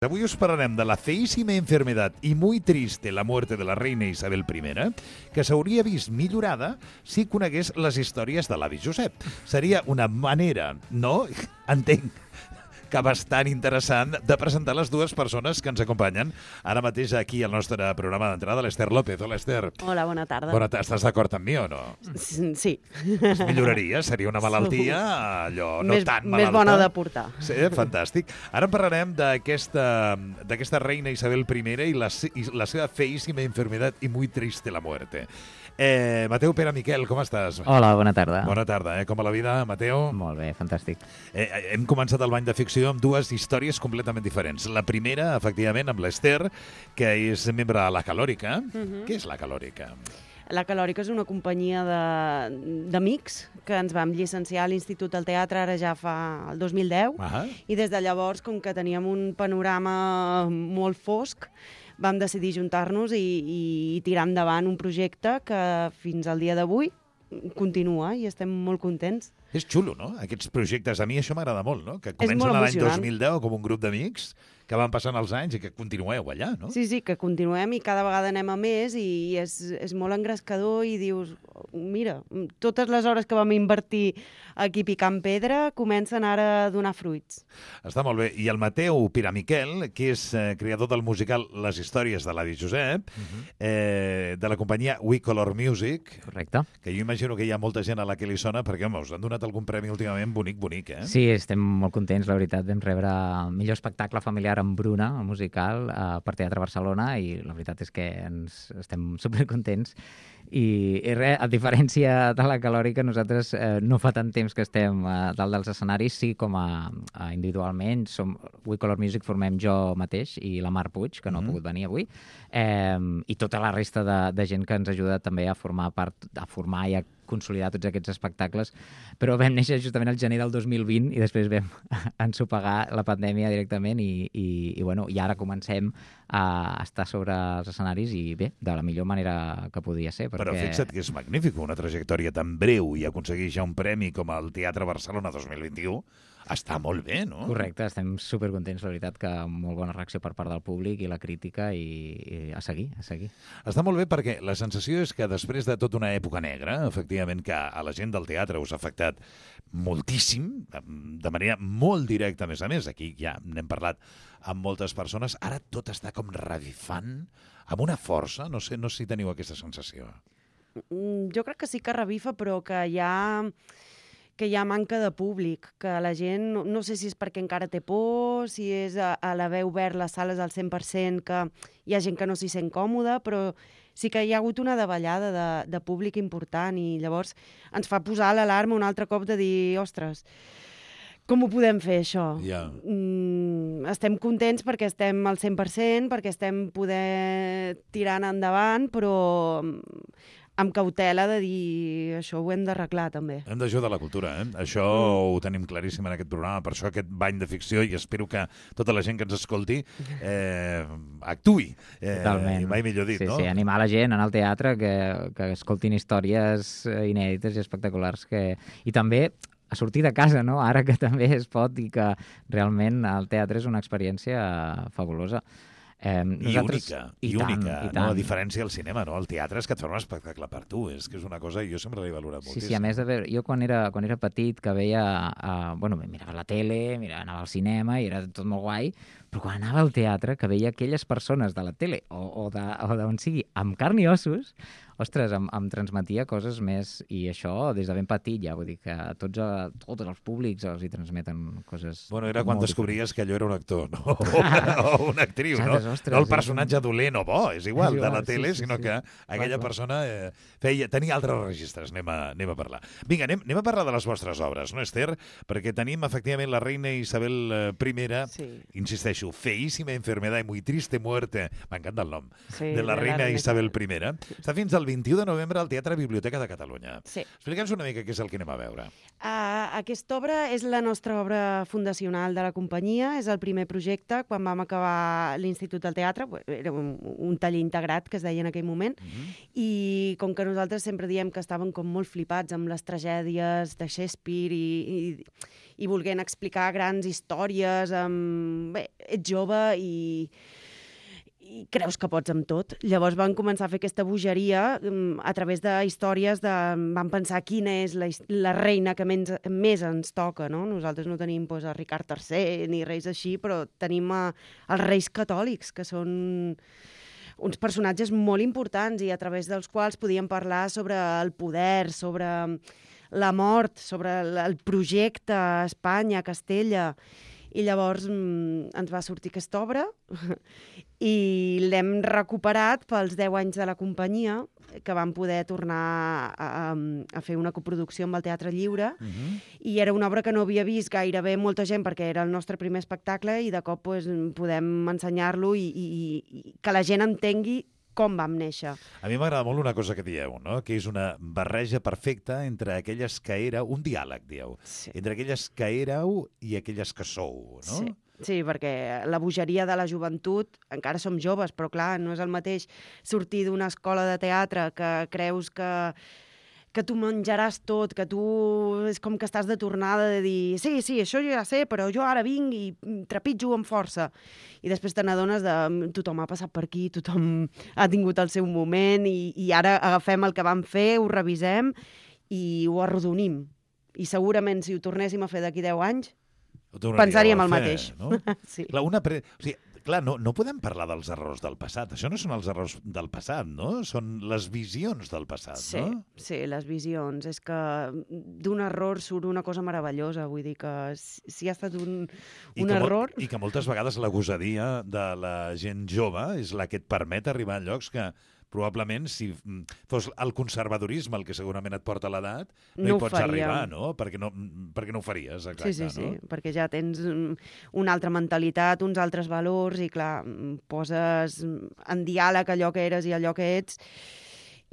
Avui us parlarem de la feíssima enfermedad y muy triste la muerte de la reina Isabel I, que s'hauria vist millorada si conegués les històries de l'avi Josep. Seria una manera, no? Entenc que bastant interessant de presentar les dues persones que ens acompanyen ara mateix aquí al nostre programa d'entrada, l'Ester López. Hola, Ester. Hola, bona tarda. Estàs d'acord amb mi o no? Sí. Es milloraria? Seria una malaltia allò no tan malalta? Més bona de portar. Sí, fantàstic. Ara parlarem d'aquesta reina Isabel I i la seva feíssima enfermedad y muy triste la muerte. Mateu Pere Miquel, com estàs? Hola, bona tarda. Bona tarda, com va la vida, Mateu? Molt bé, fantàstic. Hem començat el bany de ficció amb dues històries completament diferents. La primera, efectivament, amb l'Ester, que és membre de la Calòrica. Què és la Calòrica? La Calòrica és una companyia d'amics que ens vam llicenciar a l'Institut del Teatre ara ja fa el 2010 i des de llavors, com que teníem un panorama molt fosc, vam decidir juntar-nos i tirar endavant un projecte que fins al dia d'avui continua i estem molt contents. És xulo, no? Aquests projectes, a mi això m'agrada molt, no? Que És molt comencen l'any emocionant. 2010 com un grup d'amics que van passant els anys i que continueu allà, no? Sí, que continuem i cada vegada anem a més i és molt engrescador i dius, mira, totes les hores que vam invertir aquí picant pedra comencen ara a donar fruits. Està molt bé. I el Mateu Pere Miquel, que és creador del musical Les històries de l'avi Josep, de la companyia We Color Music. Correcte. Que jo imagino que hi ha molta gent a la que li sona perquè, home, us han donat algun premi últimament bonic, eh? Sí, estem molt contents, la veritat. Vam rebre el millor espectacle familiar amb Bruna, el musical, per Teatre Barcelona, i la veritat és que estem supercontents. I res, a diferència de la Calòrica, nosaltres no fa tant temps que estem dalt dels escenaris, sí com a individualment. We Color Music formem jo mateix i la Mar Puig, que no ha pogut venir avui, i tota la resta de gent que ens ajuda també a formar i a consolidar tots aquests espectacles, però vam néixer justament al gener del 2020 i després vam ensopegar la pandèmia directament i ara comencem a estar sobre els escenaris i bé, de la millor manera que podia ser. Però fixa't que és magnífic, una trajectòria tan breu i aconseguir ja un premi com el Teatre Barcelona 2021, està molt bé, no? Correcte, estem supercontents, la veritat, que molt bona reacció per part del públic i la crítica i a seguir. Està molt bé perquè la sensació és que després de tota una època negra, efectivament que a la gent del teatre us ha afectat moltíssim, de manera molt directa, a més, aquí ja n'hem parlat amb moltes persones, ara tot està com revifant amb una força, no sé si teniu aquesta sensació. Jo crec que sí que revifa, però que hi ha manca de públic, que la gent, no sé si és perquè encara té por, si és a l'haver obert les sales al 100%, que hi ha gent que no s'hi sent còmoda, però sí que hi ha hagut una davallada de públic important i llavors ens fa posar l'alarma un altre cop de dir, ostres, com ho podem fer, això? Yeah. Estem contents perquè estem al 100%, perquè estem poder tirant endavant, però amb cautela de dir això ho hem d'arreglar també. Hem d'ajudar la cultura, eh? Això ho tenim claríssim en aquest programa, per això aquest bany de ficció, i espero que tota la gent que ens escolti actuï. Totalment. Mai millor dit, no? Sí, animar la gent a anar al teatre, que escoltin històries inèdites i espectaculars, i també a sortir de casa, no? Ara que també es pot i que realment el teatre és una experiència fabulosa. I única, tant. No? A diferència del cinema, no? El teatre és que et fa un espectacle per tu, és que és una cosa que jo sempre l'he valorat moltíssim. Sí, a més, jo quan era petit, que veia, mirava la tele, anava al cinema i era tot molt guai, però quan anava al teatre, que veia aquelles persones de la tele o d'on sigui, amb carn i ossos, ostres, em transmetia coses més, i això des de ben petit ja, vull dir que tots els públics els hi transmeten coses... Bueno, era quan descobries que allò era un actor, no? O una actriu, no? Ostres, no el personatge dolent o bo, és igual, de la tele, sinó que aquella persona tenia altres registres, anem a parlar. Vinga, anem a parlar de les vostres obres, no, Ester? Perquè tenim, efectivament, la reina Isabel I, insisteixo, feíssima enfermedad y muy triste muerte, m'encanta el nom, de la reina Isabel I. Està fins al 21 de novembre al Teatre Biblioteca de Catalunya. Sí. Explica'ns una mica què és el que anem a veure. Aquesta obra és la nostra obra fundacional de la companyia, és el primer projecte. Quan vam acabar l'Institut del Teatre, era un taller integrat, que es deia en aquell moment, i com que nosaltres sempre diem que estàvem com molt flipats amb les tragèdies de Shakespeare i volent explicar grans històries, bé, ets jove i creus que pots amb tot. Llavors van començar a fer aquesta bogeria a través de històries Vam pensar quina és la reina que més ens toca, no? Nosaltres no tenim a Ricard III ni reis així, però tenim els reis catòlics, que són uns personatges molt importants i a través dels quals podíem parlar sobre el poder, sobre la mort, sobre el projecte Espanya, Castella. I llavors ens va sortir aquesta obra i l'hem recuperat pels 10 anys de la companyia, que vam poder tornar a fer una coproducció amb el Teatre Lliure, i era una obra que no havia vist gairebé molta gent perquè era el nostre primer espectacle i de cop podem ensenyar-lo i que la gent entengui com vam néixer. A mi m'agrada molt una cosa que dieu, no? Que és una barreja perfecta entre aquelles que éreu, un diàleg, dieu, entre aquelles que éreu i aquelles que sou, no? Sí, perquè la bogeria de la joventut, encara som joves, però clar, no és el mateix sortir d'una escola de teatre que creus que tu menjaràs tot, que tu és com que estàs de tornada de dir sí, això jo ja sé, però jo ara vinc i trepitjo amb força. I després te n'adones de tothom ha passat per aquí, tothom ha tingut el seu moment i ara agafem el que vam fer, ho revisem i ho arrodonim. I segurament si ho tornéssim a fer d'aquí 10 anys, pensaríem el mateix. No? Sí. Clar, no podem parlar dels errors del passat. Això no són els errors del passat, no? Són les visions del passat, no? Sí, les visions. És que d'un error surt una cosa meravellosa. Vull dir que si ha estat un error... I que moltes vegades la gosadia de la gent jove és la que et permet arribar a llocs que probablement, si fos el conservadorisme el que segurament et porta a l'edat, no hi pots arribar, no? Perquè no ho faries, exacte. Sí, perquè ja tens una altra mentalitat, uns altres valors, i clar, poses en diàleg allò que eres i allò que ets,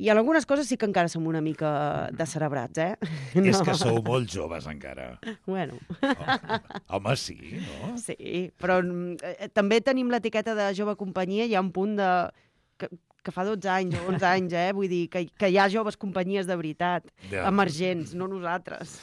i en algunes coses sí que encara som una mica descerebrats, No. És que sou molt joves encara. Bueno. Home, sí, no? Sí, però també tenim l'etiqueta de jove companyia, hi ha un punt que fa 12 anys o 11 anys, vull dir, que hi ha joves companyies de veritat, emergents, no nosaltres.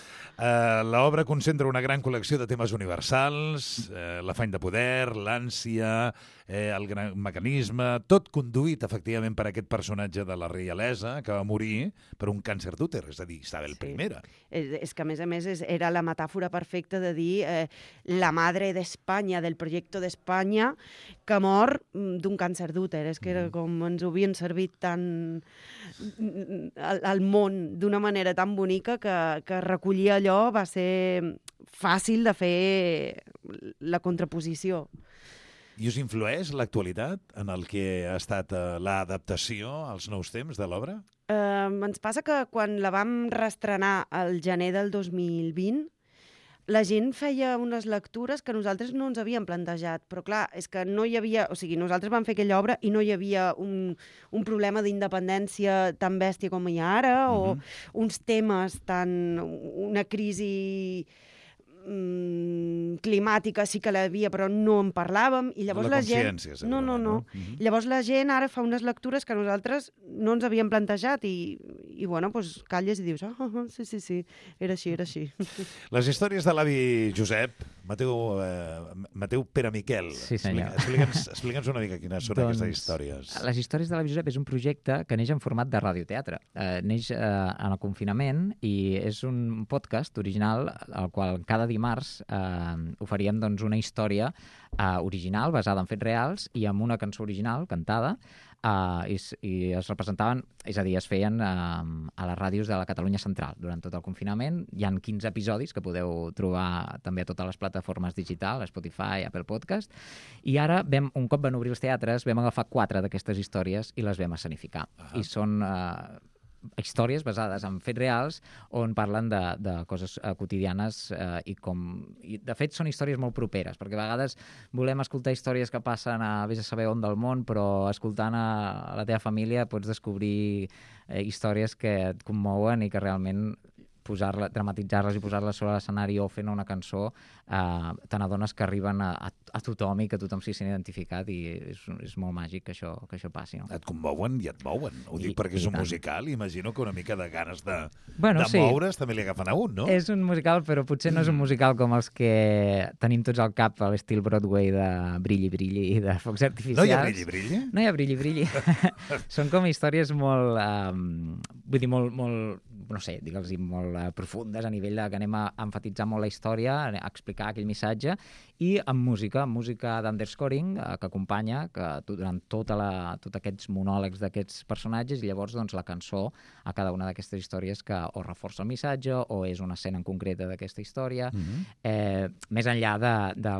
L'obra concentra una gran col·lecció de temes universals, l'afany de poder, l'ànsia, el gran mecanisme, tot conduït, efectivament, per aquest personatge de la reialesa que va morir per un càncer d'úter, és a dir, Isabel I. És que, a més, era la metàfora perfecta de dir la madre d'Espanya, del projecte d'Espanya, que mor d'un càncer d'úter. És que era com ens ho havien servit tant al món d'una manera tan bonica que recollir allò va ser fàcil de fer la contraposició. I us influeix l'actualitat en el que ha estat l'adaptació als nous temps de l'obra? Ens passa que quan la vam reestrenar al gener del 2020, la gent feia unes lectures que nosaltres no ens havíem plantejat, però clar, és que no hi havia... O sigui, nosaltres vam fer aquella obra i no hi havia un problema d'independència tan bèstia com hi ha ara, o uns temes tan... una crisi climàtica sí que l'havia, però no en parlàvem, i llavors la gent... No. Llavors la gent ara fa unes lectures que nosaltres no ens havíem plantejat i bueno, doncs calles i dius, sí, era així. Les històries de l'avi Josep, Mateu Pere Miquel. Sí, senyor. Explica'ns una mica quines són aquestes històries. Les històries de l'avi Josep és un projecte que neix en format de radioteatre. Neix en el confinament i és un podcast original al qual cada dimarts oferíem una història original basada en fets reals i amb una cançó original cantada i es representaven, és a dir, es feien a les ràdios de la Catalunya Central durant tot el confinament. Hi han 15 episodis que podeu trobar també a totes les plataformes digitals, Spotify, Apple Podcast, i ara un cop van obrir els teatres vam agafar 4 d'aquestes històries i les vam escenificar. I són històries basades en fets reals on parlen de coses quotidianes i de fet són històries molt properes, perquè a vegades volem escoltar històries que passen a vés a saber on del món, però escoltant a la teva família pots descobrir històries que et commouen i que realment dramatitzar-les i posar-les sobre l'escenari o fent una cançó, te n'adones que arriben a tothom i que tothom s'hi sent identificat i és molt màgic que això passi. No? Et commouen i et mouen. Ho dic perquè és un musical, imagino que una mica de ganes de moure's també li agafen a un, no? És un musical, però potser no és un musical com els que tenim tots al cap a l'estil Broadway de brilli, brilli i de focs artificials. No hi ha brilli, brilli? No hi ha brilli, brilli. Són com històries molt, vull dir, molt, no sé, digue'ls-hi, molt profundes a nivell que anem a emfatitzar molt la història, a explicar aquell missatge, i amb música d'underscoring que acompanya durant tots aquests monòlegs d'aquests personatges, i llavors doncs, la cançó a cada una d'aquestes històries que o reforça el missatge o és una escena en concreta d'aquesta història, més enllà de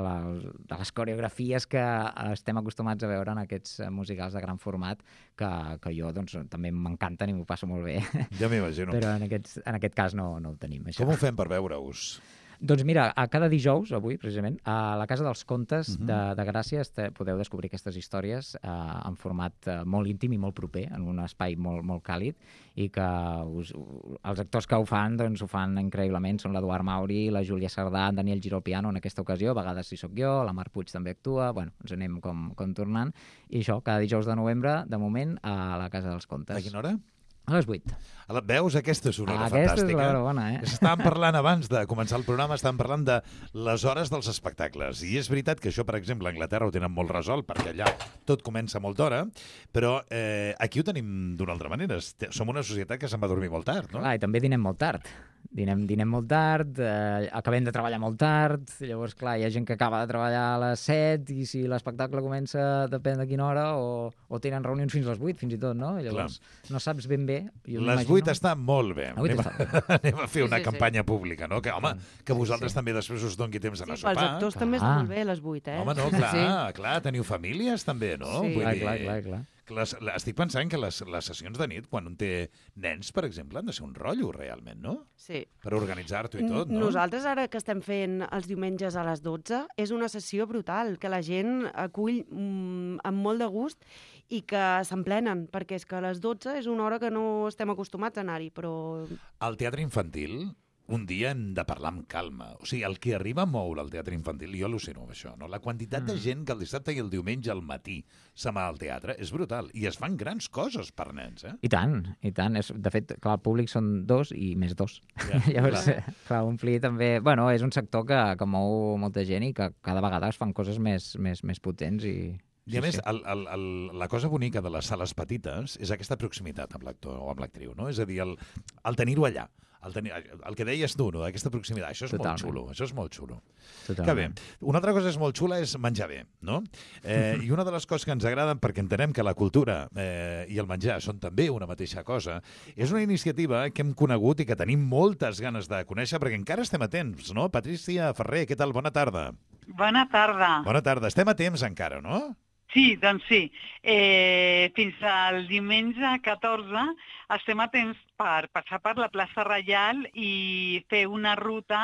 les coreografies que estem acostumats a veure en aquests musicals de gran format, que jo doncs, també m'encanten i m'ho passo molt bé. Ja m'imagino. Però en aquest cas no ho tenim. Això. Com ho fem per veure-us? Doncs mira, a cada dijous, avui, precisament, a la Casa dels Contes de Gràcia podeu descobrir aquestes històries en format molt íntim i molt proper, en un espai molt, molt càlid, i que els actors que ho fan, doncs ho fan increïblement. Són l'Eduard Mauri, la Júlia Sardà, en Daniel Giró al piano en aquesta ocasió, a vegades si sóc jo, la Mar Puig també actua, bueno, ens anem com tornant. I això, cada dijous de novembre, de moment, a la Casa dels Contes. A quina hora? A les 8. Veus? Aquesta és una hora Aquesta fantàstica. és l'hora bona, Estàvem parlant abans de començar el programa, estàvem parlant de les hores dels espectacles. I és veritat que això, per exemple, a Anglaterra ho tenen molt resolt, perquè allà tot comença molt d'hora, però aquí ho tenim d'una altra manera. Som una societat que se'n va dormir molt tard, no? Clar, i també dinem molt tard. Dinem molt tard, acabem de treballar molt tard, llavors, clar, hi ha gent que acaba de treballar a les 7 i si l'espectacle comença depèn de quina hora, o tenen reunions fins a les 8, fins i tot, no? Llavors, no saps ben bé. Les 8 està molt bé. Anem a fer una campanya pública, no? Que, home, que vosaltres també després us doni temps a anar a sopar. Els actors també està molt bé a les 8, Home, no, clar, teniu famílies també, no? Sí, clar. Estic pensant que les sessions de nit, quan un té nens, per exemple, han de ser un rotllo, realment, no? Sí. Per organitzar-t'ho i tot, no? Nosaltres, ara que estem fent els diumenges a les 12, és una sessió brutal, que la gent acull amb molt de gust i que s'emplenen, perquè és que a les 12 és una hora que no estem acostumats a anar-hi, però... Al teatre infantil, un dia hem de parlar amb calma. O sigui, el que arriba a moure el teatre infantil, jo al·lucino amb això, no? La quantitat de gent que el dissabte i el diumenge al matí se'n va al teatre és brutal. I es fan grans coses per nens, I tant. De fet, clar, el públic són 2 i més 2. Ja, llavors, clar, omplir també... Bueno, és un sector que mou molta gent i que cada vegada es fan coses més potents i... I a més, la cosa bonica de les sales petites és aquesta proximitat amb l'actor o amb l'actriu, no? És a dir, el tenir-ho allà, el que deies tu, no? Aquesta proximitat, això és molt xulo, això és molt xulo. Que bé. Una altra cosa és molt xula és menjar bé, no? I una de les coses que ens agraden, perquè entenem que la cultura i el menjar són també una mateixa cosa, és una iniciativa que hem conegut i que tenim moltes ganes de conèixer, perquè encara estem a temps, no? Patrícia Ferrer, què tal? Bona tarda. Bona tarda. Bona tarda. Estem a temps encara, no? Sí, doncs sí. Fins al diumenge 14 estem a temps per passar per la plaça Reial i fer una ruta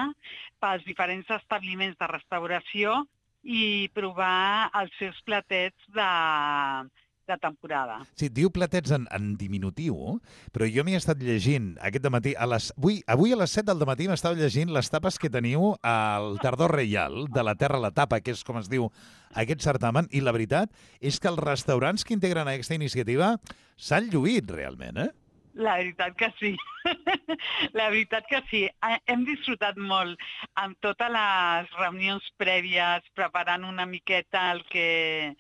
pels diferents establiments de restauració i provar els seus platets de temporada. Sí, diu platets en diminutiu, però jo m'hi he estat llegint aquest dematí, avui a les 7 del dematí m'estava llegint les tapes que teniu al Tardor Reial, de la Terra a la Tapa, que és com es diu aquest certamen, i la veritat és que els restaurants que integren aquesta iniciativa s'han lluït realment, La veritat que sí. La veritat que sí. Hem disfrutat molt amb totes les reunions prèvies, preparant una miqueta el que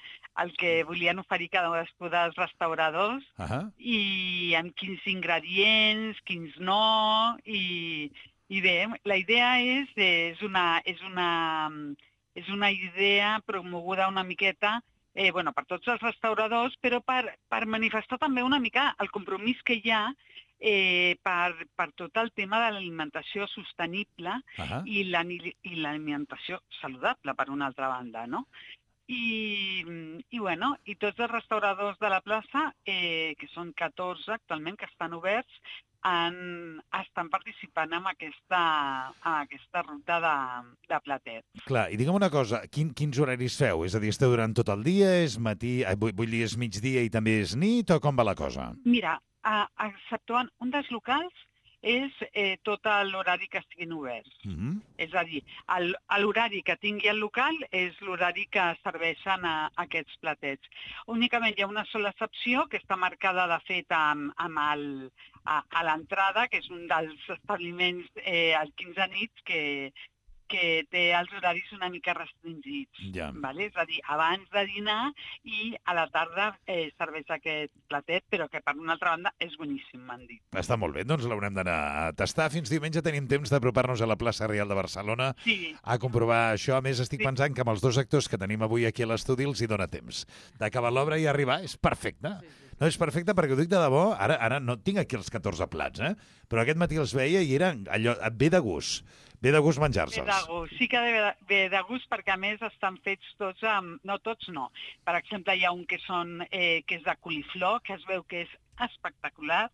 volien oferir cadascú dels restauradors i amb quins ingredients, quins no, i bé, la idea és una idea promoguda una miqueta per tots els restauradors, però per manifestar també una mica el compromís que hi ha per tot el tema de l'alimentació sostenible i l'alimentació saludable, per una altra banda, no? I I, bueno, i tots els restauradors de la plaça, que són 14 actualment, que estan oberts, estan participant en aquesta ruta de platets. Clar, i digue'm una cosa, quins horaris feu? És a dir, esteu durant tot el dia, és matí, vull dir, és migdia i també és nit, o com va la cosa? Mira, exceptuant un dels locals, és tot l'horari que estiguin oberts. És a dir, l'horari que tingui el local és l'horari que serveixen aquests platets. Únicament hi ha una sola excepció que està marcada, de fet, a l'entrada, que és un dels establiments al 15 nits que té els horaris una mica restringits. Ja. Vale? És a dir, abans de dinar i a la tarda serveix aquest platet, però que per una altra banda és boníssim, m'han dit. Està molt bé, doncs l'haurem d'anar a tastar. Fins diumenge tenim temps d'apropar-nos a la plaça Reial de Barcelona a comprovar això. A més, estic pensant que amb els 2 actors que tenim avui aquí a l'estudi els hi dona temps d'acabar l'obra i arribar. És perfecte. No, és perfecte perquè ho dic de debò. Ara no tinc aquí els 14 plats, però aquest matí els veia i eren allò, ve de gust. Ve de gust menjar-se'ls. Ve de gust, sí que ve de gust perquè a més estan fets tots amb... No tots, no. Per exemple, hi ha un que és de coliflor, que es veu que és espectacular.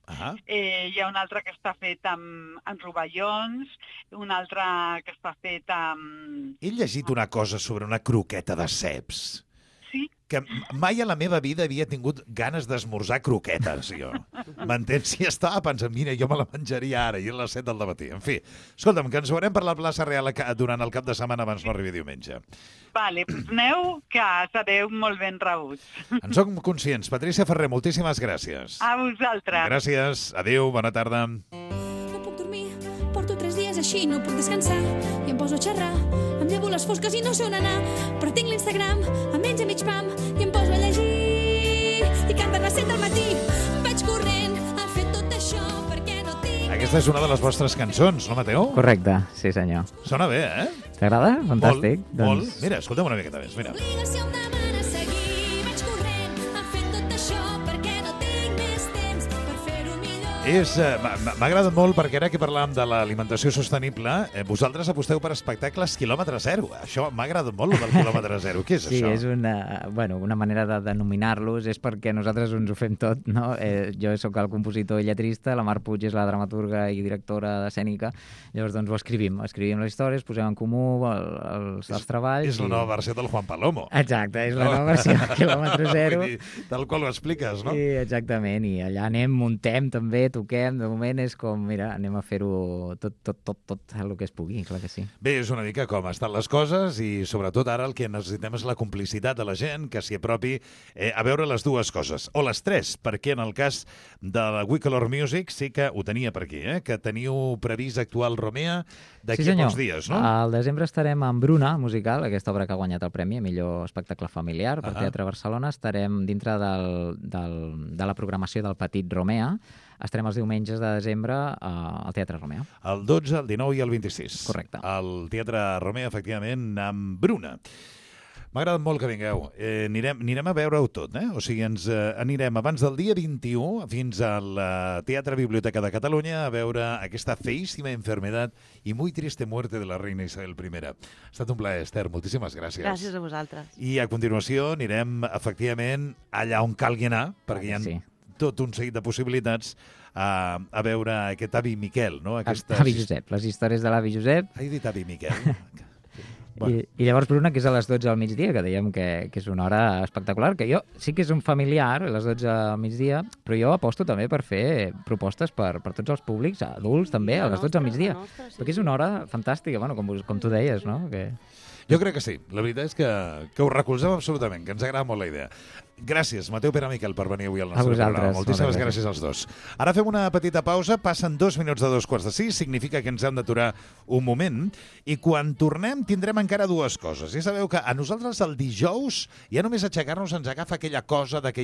Hi ha un altre que està fet amb rovellons, un altre que està fet amb... He llegit una cosa sobre una croqueta de ceps. Sí? Que mai a la meva vida havia tingut ganes d'esmorzar croquetes, jo. M'entens? Si estava pensant, mira, jo me la menjaria ara, i a les 7 del matí. En fi, escolta'm, que ens veurem per la plaça Real durant el cap de setmana abans no arribi diumenge. Vale, doncs aneu, que sereu molt ben rebuts. En som conscients. Patrícia Ferrer, moltíssimes gràcies. A vosaltres. Gràcies. Adéu, bona tarda. No puc dormir, porto 3 dies així, no puc descansar, i em poso a xerrar. Em llevo les fosques i no sé on anar, però tinc l'Instagram, em menja mig pam, i em poso a llegir. I canten les 7 del matí, vaig corrent a fer tot això perquè no tinc... Aquesta és una de les vostres cançons, no, Mateu? Correcte, sí senyor. Sona bé, T'agrada? Fantàstic. Molt. Mira, escolta'm una miqueta més, mira. L'obligació em demana seguir, vaig corrent a fer tot això perquè no tinc més temps per fer-ho millor. M'ha agradat molt perquè ara que parlàvem de l'alimentació sostenible, vosaltres aposteu per espectacles quilòmetre zero. Això m'ha agradat molt, el del quilòmetre zero. Què és això? Sí, és una manera de denominar-los, és perquè nosaltres ens ho fem tot, no? Jo sóc el compositor i lletrista, la Mar Puig és la dramaturga i directora d'escènica, llavors doncs ho escrivim les històries, posem en comú els treballs... És la nova versió del Juan Palomo. Exacte, és la nova versió del quilòmetre zero. Tal qual ho expliques, no? Sí, exactament, i allà muntem també, toquem, de moment és com, mira, anem a fer-ho tot el que es pugui, clar que sí. Bé, és una mica com estan les coses i sobretot ara el que necessitem és la complicitat de la gent que s'hi apropi a veure les dues coses, o les tres, perquè en el cas de la We Color Music sí que ho tenia per aquí, que teniu previst actuar al Romea d'aquí a pocs dies, no? Al desembre estarem amb Bruna, musical, aquesta obra que ha guanyat el premi a millor espectacle familiar per Teatre Barcelona. Estarem dintre de la programació del Petit Romea. Estarem els diumenges de desembre al Teatre Romea. El 12, el 19 i el 26. Correcte. Al Teatre Romea, efectivament, amb Bruna. M'ha agradat molt que vingueu. Anirem a veure-ho tot, O sigui, ens anirem abans del dia 21 fins al Teatre Biblioteca de Catalunya a veure aquesta feíssima enfermedad y muy triste muerte de la reina Isabel I. Ha estat un plaer, Esther. Moltíssimes gràcies. Gràcies a vosaltres. I a continuació anirem, efectivament, allà on calgui anar, perquè hi ha tot un seguit de possibilitats a veure aquest avi Miquel, no? Avi Josep, les històries de l'avi Josep. He dit avi Miquel. Bueno. I llavors Bruna, que és a les 12 al migdia, que dèiem que és una hora espectacular, que jo sí que és un familiar, a les 12 al migdia, però jo aposto també per fer propostes per tots els públics, adults també, a les 12 al migdia, perquè és una hora fantàstica, bueno, com tu deies, no? Jo crec que sí. La veritat és que ho recolzem absolutament, que ens agrada molt la idea. Gràcies, Mateu Pere Miquel, per venir avui al nostre programa. Moltíssimes gràcies als dos. Ara fem una petita pausa, passen 2 minuts de 2:45, significa que ens hem d'aturar un moment, i quan tornem tindrem encara dues coses. Ja sabeu que a nosaltres el dijous ja només aixecar-nos ens agafa aquella cosa de que